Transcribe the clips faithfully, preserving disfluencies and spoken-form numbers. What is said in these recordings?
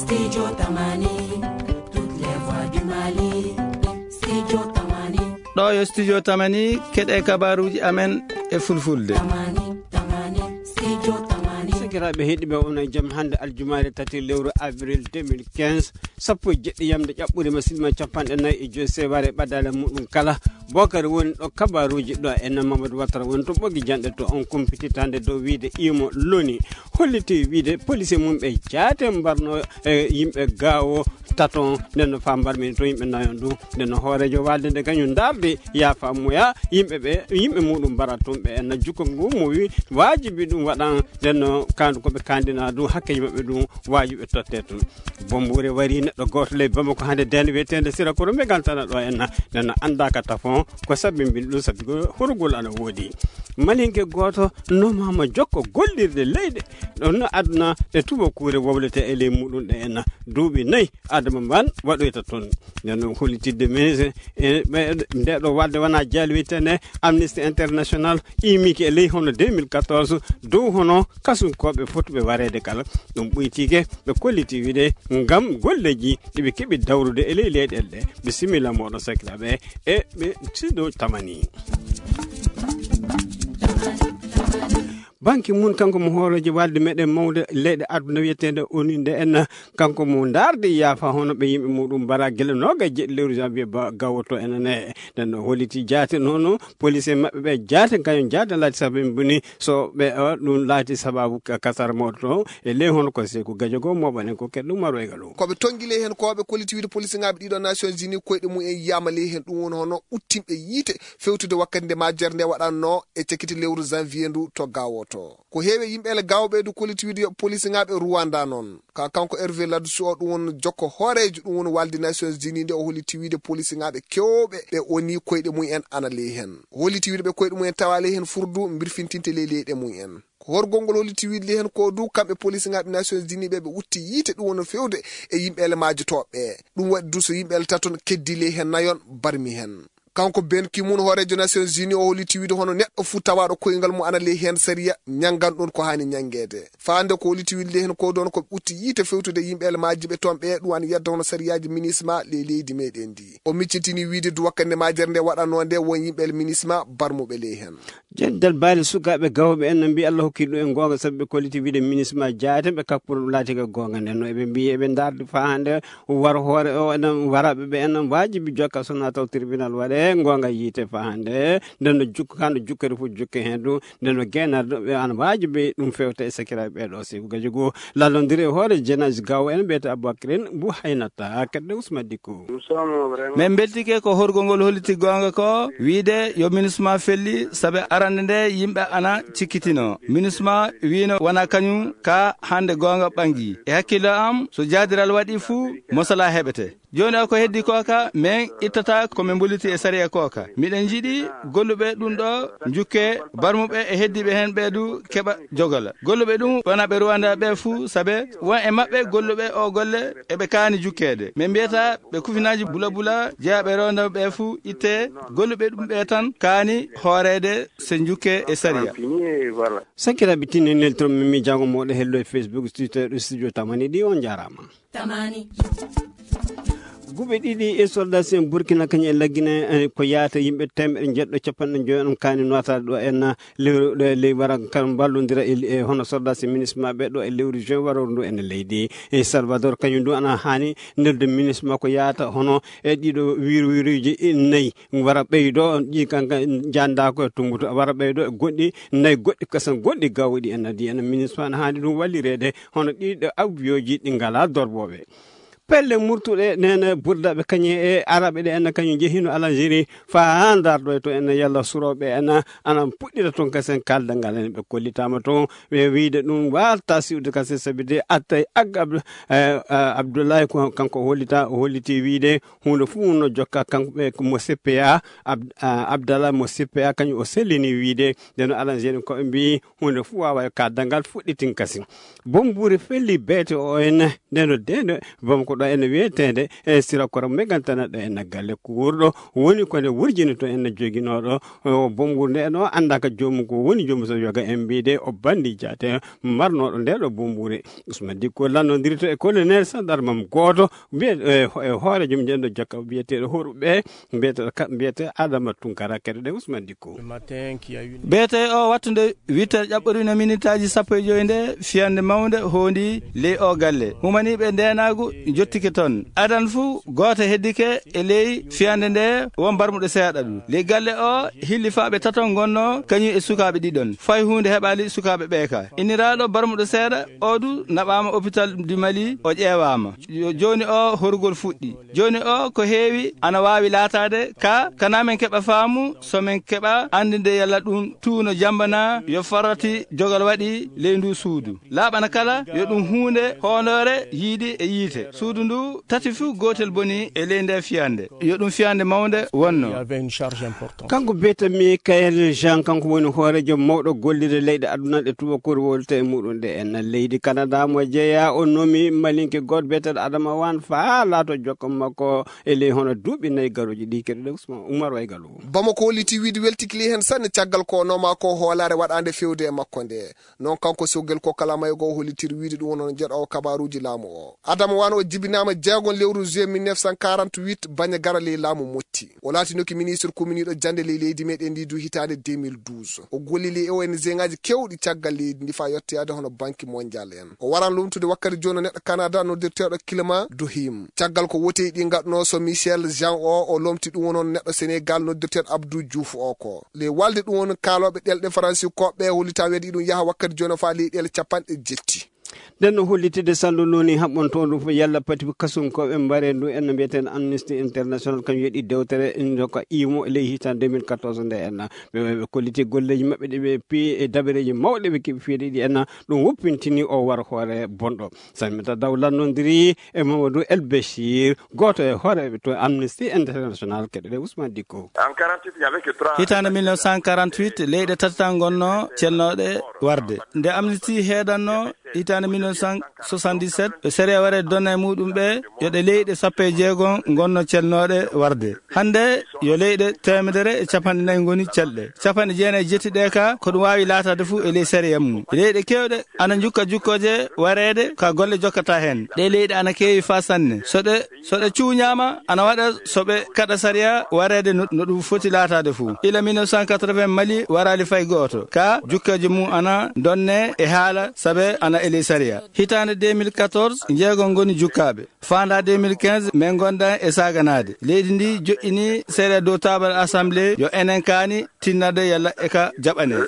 Studio Tamani, toutes les voix du Mali. Studio Tamani. Ɗo yo Studio Tamani, keɗe kabaruji amen e fulfulde. Tamani, Tamani, Studio Tamani. Sakiraaɓe heɗiɓe, on e jam hannde aljumaare tati lewru avril deux mille quinze, sappo e jeɗɗi yamde ƴaɓɓude ma sinma capanɗe nayi e joyi seware ɓaddaale muɗum kala. Bokar woni ɗo kabaruji ɗo e no Mamadou Watara woni to ɓogi janɗe to on kumpititande dow wiide imo loni. Holliti wiide police mum ɓe jaate mbarno e yimɓe gawo taton, nden no fa mbarmi to yimɓe nayon ɗum. Nden no hoorejo walde nde kañum dardi yaafa moya yimɓe ɓe, yimɓe muɗum mbara tun ɓe en jukko ngu mo wi wajibi ɗum waɗan. Nden no kandu ko ɓe kandina ɗum hakkeji maɓɓe ɗum wajibi ɓe totte tun. Bombure wari neɗɗo goto ley Bamako hande den wiyetende Sira Koro Megantana ɗo en, nden no andaka tafon ko sabbimbi ɗum sabi ko hurgol ana wodi. Malinke goto nomama jokko gollirde leyɗe ɗon no aduna e tuba kure woblete e ley muɗum ɗe en duuɓi nayi adama mban waɗoyta toon. Nden noon hollitidde ministre e ɓe nde ɗo wadde wona jaali wiyetende Amnesty International imiki e ley hono deux mille quatorze dow hono kasunkooɓe fotɓe wareede kala. Ɗum ɓuytiike ɓe kolliti wiide ngam golleeji ɗi ɓe keɓi dawrude e ley leyɗeele ɗe. Bisimilla mooɗon sakiraaɓe e ɓe sido tamani. Banki mun kanko mo hooreejo walde meɗen mawde leyɗe aduna wiyeteende oni nde en, kanko mo ndardi yaafa hono ɓe yimɓe muɗum mbara gila noga e jeɗɗi lewru janvier ba gawoto enene. Nden no holliti jaate nono police maɓɓe ɓe jaate kañum jaate lati sabi boni so ɓe o ɗum laati sababu ka- kasar mawɗo to e ley hono ko seku gajogo moɓanen ko keɗɗum maro e galu. Koɓe tongi ley hen koɓe kolliti wiide police ngaɓe ɗiɗo Nations Unies koyɗe mum en yiyama ley hen ɗum woni hono uttinɓe yiite fewtude wakkati nde majjere nde waɗanno e cakiti lewru janvier ndu to gawoto. Ko heewi e yimɓe ele gawɓe du kolliti wiide yoɓe police ngaɓe Rwanda noon. Ka kanko Hervé Ladsou o ɗum woni jokko hooreejo ɗum woni walde Nations Unies nde o holliti wiide police ngaɓe kewɓe ɓe oni koyɗe mum en ana ley hen. Holliti wiide ɓe koyɗe mum en tawa ley hen furdu mbirfintinte ley leyɗe mum en. Ko horgol ngol holliti wiide ley hen ko du kamɓe police ngaɓe Nations Unies ɓe ɓe utti yiite ɗum woni fewde e yimɓe ele majjotooɓe ɓe. Ɗum waɗi du so yimɓe ele taton keddi ley hen nayon barmi hen. Kanko Ben Ki-moon hooreejo Nations Unies o holliti wiide hono neɗɗo fuu tawaaɗo koyngal mum ana ley heen sariya ñanngan ɗoon ko haani ñanngeede. Faande ko holliti wiide ley heen ko ɗoon ko ɓe utti yiite fewtude yimɓe ele majji ɓe toon ɓe ɗum ana yedda hono sariyaaji minisma ley leydi meɗen ndi. O miccitini wiide du wakkande majere nde waɗanoo nde won yimɓe ele minisma barmuɓe ley heen. Jendal baali sukaaɓe gawɓe en no mbiyi Allah hokki ɗum en goonga sabu ɓe kolliti wiide minisma jaate ɓe kakkuro ɗum laati ko goonga nden no eɓe mbiyi eɓe ndardi faa hannde war hoore o enen waraɓe ɓe enen wajibi jokka so na taw tribunal waɗe gonga yiite fa hande nden no jukka kando jukkere fu jukke hen ɗum nden no genarɗo ɓe an wajibi ɗum fewta e sakiraɓe ɓeɗo sibu gaji goo lallondiri e hoore jenaji gawo en ɓeyta aboubacrine bu haynata kadde usma dikku. Min beltike ko horgol ngol holliti gonga ko wiide yo minisma felli saabe arande nde yimɓe ana cikkitino minisma wiino wona kañum ka hande gonga ɓangi e hakkillo am so jaadiral waɗi fuu mosala heɓete. Jooni o ko heddi kooka, min ittata ko min mboliti e sariya kooka. Miɗen njiɗi golluɓe ɗum ɗo njukke barmuɓe e heddiiɓe heen ɓee du keɓa jogola. Golluɓe ɗum wona ɓe Rwanda ɓe fuu, sabe won e maɓɓe golluɓe o golle eɓe kaani jukkeede. Min mbiyata ɓe kufinaaji bula bula jeyaaɓe Rwanda ɓe fuu itte golluɓe ɗum ɓe tan kaani hooreede se njukke e sariya. Sakiraaɓe tinni neltoro min mi jango moɗo hello e Facebook, Twitter, studio tamani ɗi on jarama. Tamani. Guɓe ɗiɗi e soldat sen Burkina kañum e laggine eh, ko yaata yimɓe temeɗe jeɗɗo capanɗe joyi on kani notade ɗo en lewru ɗo e ley wara kan mballodira e e hono soldat sen minisma ɓe ɗo e lewru juin waroro ndu en leydi e Salvador kañum ndu ana hani nelde minisma ko yaata hono e ɗiɗo wiru wiruji e nayi wara ɓeydo ɗi kanka janda ko e tumbuto wara ɓeydo e goɗɗi nayi goɗɗi kasan goɗɗi gawɗi en adi en minisma ana hani ɗum wallirede hono ɗiɗo avion ji ɗi ngala dorboɓe. Pelle murtuɗe nene burdaɓe kañe e araɓe ɗe enna kañum jehino Algérie fa ha darɗo e to enna yalla suroɓe enna ana puɗɗira toon kasen kalda ngal en ɓe kollitama toon ɓe wiide ɗum warta siwde kasen sabi de attay agga abdoulaye ko kanko hollita o holliti wiide hunde fof no jokka kanko ɓe mo C P A abdallah mo C P A kañum o sellini wiide nde no Algérie koɓe mbi hunde fof wawa e ka dangal fuɗɗitin kasi. Bombure felli beete o en nde no dende bamako. ɗo ene wiyeteende e sira koro megantana ɗo ene galle kuurɗo woni ko nde wurjini to ene joginooɗo o bombur nde no annda ka joomum ko woni joomum so yoga en mbiide o bandi jaate marnooɗo nde ɗo bombure. Usman Dikko lannodirto e colonel sandarmam gooto mbiye e hoorejo mum njenɗo jokka mbiyeteeɗo horuɓe mbiyete mbiyete Adama Tunkara kadi ɗe Usman Dikko. Beete o wattunde witter ƴaɓɓorino minitaaji sappo e joyi nde fiyande mawnde hondi ley o galle humaniiɓe ndeenaagu jottike toon adan fuu gooto heddike e ley fiyande nde won barmuɗo seeɗa ɗum ley galle o hillifaaɓe tato ngonno kañum e sukaaɓe ɗiɗon fay huunde heɓaali sukaaɓe ɓeeka inniraaɗo barmuɗo seeɗa o du naɓaama hôpital du Mali o ƴeewaama. Jooni o horugol fuɗɗi jooni o ko heewi ana waawi laataade ka kana men keɓa faamu so men keɓa anndinde yalla ɗum tuuno jambana yo farati jogal waɗi ley ndu suudu laaɓana kala yo ɗum huunde hoondoore yiiɗi e yiite suudu ndu tati fuu gootel boni e ley nde fiyande yo ɗum fiyande mawnde wonno. Kanko biyetee Michael Jean kanko woni hooreejo mawɗo gollirde leyɗe aduna ɗe tubakoore wowlata e muɗum ɗe en leydi Canada mo jeeya o nomi malinke gooto biyeteeɗo Adama Wan faa laato jokka makko e ley hono duuɓi nayi garooji ɗi keɗoɗen Ousmane Oumar Waygalu. Bamako holliti wiide weltiki ley heen sanne caggal ko o nooma ko hoolaare waɗaande feewde e makko nde. Noon kanko Sogel ko kala mayo goo hollitir wiide ɗum wonno jeɗɗo o kabaaruuji laamu o. Adama Wan o jibinaama jeegon lewru juillet mille neuf cent quarante-huit baña gara ley laamu Motti. O laatinoki ministre kuminiiɗo jannde ley leydi meɗen ndi du hitaande deux mille douze. O golli ley O N G ngaaji keewɗi caggal leydi ndi faa yettoyaade hono Banque Mondiale en. O waran lomtude wakkati jooni neɗɗo Canada noddirteeɗo Kilma Dohim. Caggal ko woteeji ɗi ngaɗnoo so Michel Jean o o lomti ɗum wonno neɗɗo Senegal noddirteeɗo Abdou Diouf o ko. Ley walde ɗum woni kaalooɓe ɗelɗe faransi koɓɓe hollita weedi ɗum yaha wakkati jooni faa ley ɗeele capanɗe jetti. Nden no hollitide sandu noni haɓɓon toon ɗum fof yalla pati kasunkooɓe mbare ndu en no mbiyeteeɗo Amnesty International kam yeɗi dewtere ndoka imo ley hitan deux mille quatorze nde en ɓe ɓe kolliti golleeji maɓɓe ɗi ɓe pi e dabareeji mawɗe ɓe keɓi fiyede ɗi en ɗum woppintini o war hoore bonɗo. Salimata Daw lannondiri e Mamadou El Bechir gooto e hooreeɓe to Amnesty International keɗoɗe Ousmane Dikko. Hitaande mille neuf cent quarante-huit leyɗe tati tan ngonnoo celnooɗe warde. Nde Amnesty heedanno hitaande mille neuf cent soixante-dix-sept yo sariya ware donna e muɗum ɓe yo ɗe leyɗe sappo e jeego ngonno celnooɗe warde. Hannde yo leyɗe teemedere e capanɗe nayi ngoni celɗe. Capanɗe jeenayi jetti ɗe ka ko ɗum waawi laataade fof e ley sariya mum. Leyɗe keewɗe ana njukka jukkooje wareede ka golle jokkata heen. Ɗe leyɗe ana keewi faa sanne. So ɗe so ɗe cuuñaama ana waɗa so ɓe kaɗa sariya wareede no ɗum foti laataade fof. Ila mille neuf cent quatre-vingts Mali waraali fay gooto ka jukkooje mum ana ndonne e haala sabe ana e ley sariya. Hitaande deux mille quatorze njeego ngoni jukkaaɓe. Faandaa deux mille quinze min ngonda e saaganaade. Leydi ndi joƴƴini sariya dow taabal assemblée yo enen kaani tinnade yalla e ka jaɓanee.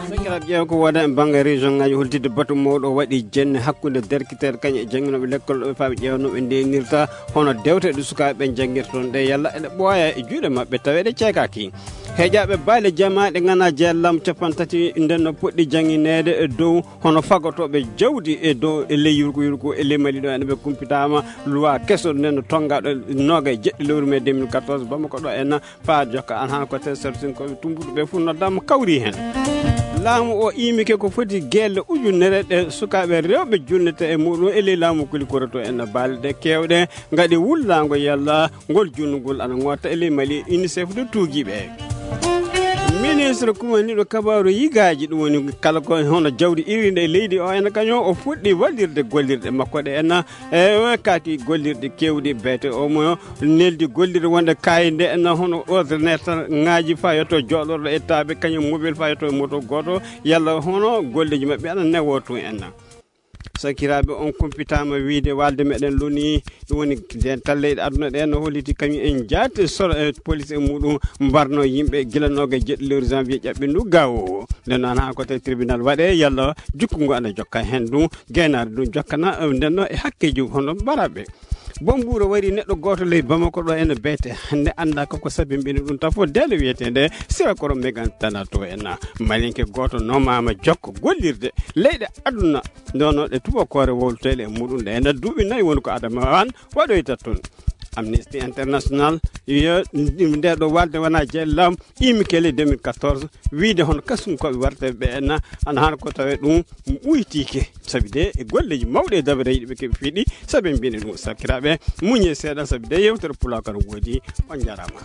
Sakiraaɓe ƴeew ko wona e bannge région ngaji holtidde batu mawɗo o waɗi jenne hakkunde derkiteeɗe kañum e jannginooɓe lekkol ɗo ɓe faaɓe ƴeewnooɓe ndenirta hono dewte ɗe sukaaɓe ɓe janngirta toon ɗe yalla eɗe ɓooya e juuɗe maɓɓe tawa eɗe ceekaaki. Heeƴaaɓe baale jamaaɗe ngana jeellam capan tati nden no poɗɗi janngineede e dow hono fagotooɓe jawdi e dow e ley yurko yurko e ley mali ɗo ene ɓe kumpitaama luwa keso nden no tonngaɗo nooga e jeɗɗi lewru mai deux mille quatorze bamako ɗo en faa jokka an han ko te sartinkoɓe tumbuɗo ɓe fof noddama kawri hen. Laamu o imike ko foti gelle ujunere ɗe sukaaɓe rewɓe junnete e muɗum e ley laamu kuli koroto en baale ɗe kewɗe ngaɗi wullaango yalla ngol junnugol ana ŋotta e ley mali unicef ɗo tuugiiɓe. Ministre kumaniɗo kabaru yigaaji ɗum woni kala ko hono jawdi irinde e leydi o ena kañum o fuɗɗi wallirde gollirɗe makko ɗe ena e kaki gollirɗe kewɗi beete omo neldi gollirde wonde kayde ena hono ordinateur ngaji fa yetto joɗorɗo e taaɓe kañum mobile fa yetto e moto goto yalla hono golleji maɓɓe ana newo tun ena. Sakiraaɓe on kumpitaama wiide walde meɗen loni ɗum woni dental leyɗe aduna ɗe no holliti kañum en jaati soro e police e muɗum mbarno yimɓe gila noga e jeɗɗi lewru janvier ƴaɓɓindu gawo o. Nden noon haa ko tawi tribunal waɗe yalla jukkungu ana jokka hen ɗum gaynaare ɗum jokkana nden noon e hakkeji hono mbaraɓe. Bomburo wari neɗɗo goto ley bamako ɗo ene beete hande anda koko sabimbini ɗum tafo dele wiyetende sira koro megan tana to en malinke goto nomama jokko gollirde leyɗe aduna ndono ɗe tubakore wowlotele e muɗum ɗe ene duuɓi nayi woni ko adama an waɗoyta toon. Amnesty International yo nde ɗo walde wona jellama imikele deux mille quatorze, wiide hono kasum koɓe warta ɓe enna ana hano ko tawe ɗum uytike. Sabi de e golleji mawɗe e dabare yiɗi ɓe keɓe fiɗi. Sabi mbine ɗum sakkiraɓe, muñe seeɗa sabi de yewtere pulakar woodi. On jarama.